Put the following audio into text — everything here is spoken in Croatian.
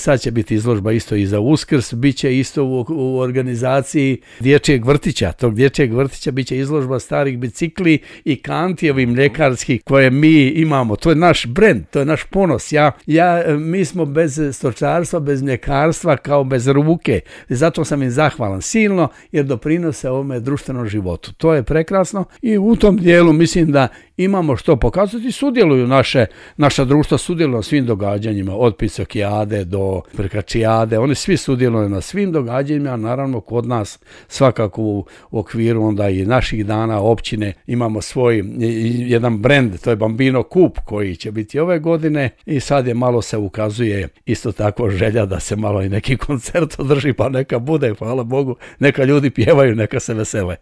sad će biti izložba isto i za Uskrs, bit će isto u organizaciji dječjeg vrtića. Tog dječjeg vrtića bit će izložba starih bicikli i kanti mljekarskih koje mi imamo. To je naš brend, to je naš ponos. Mi smo bez stočarstva, bez mljekarstva, kao bez ruke. Zato sam im zahvalan silno jer doprinose ovome društvenom životu. To je prekrasno i u tom dijelu mislim da imamo što pokazati. Sudjeluju naša društva, sudjeluju na svim događanjima, od Pisokijade do Prkačijade. Oni svi sudjeluju na svim događanjima, naravno kod nas svakako u okviru onda i naših dana općine imamo svoj jedan brend, to je Bambino Kup koji će biti ove godine i sad je malo se ukazuje isto tako želja da se malo i neki koncert održi, pa neka bude, hvala Bogu, neka ljudi pjevaju, neka se vesele.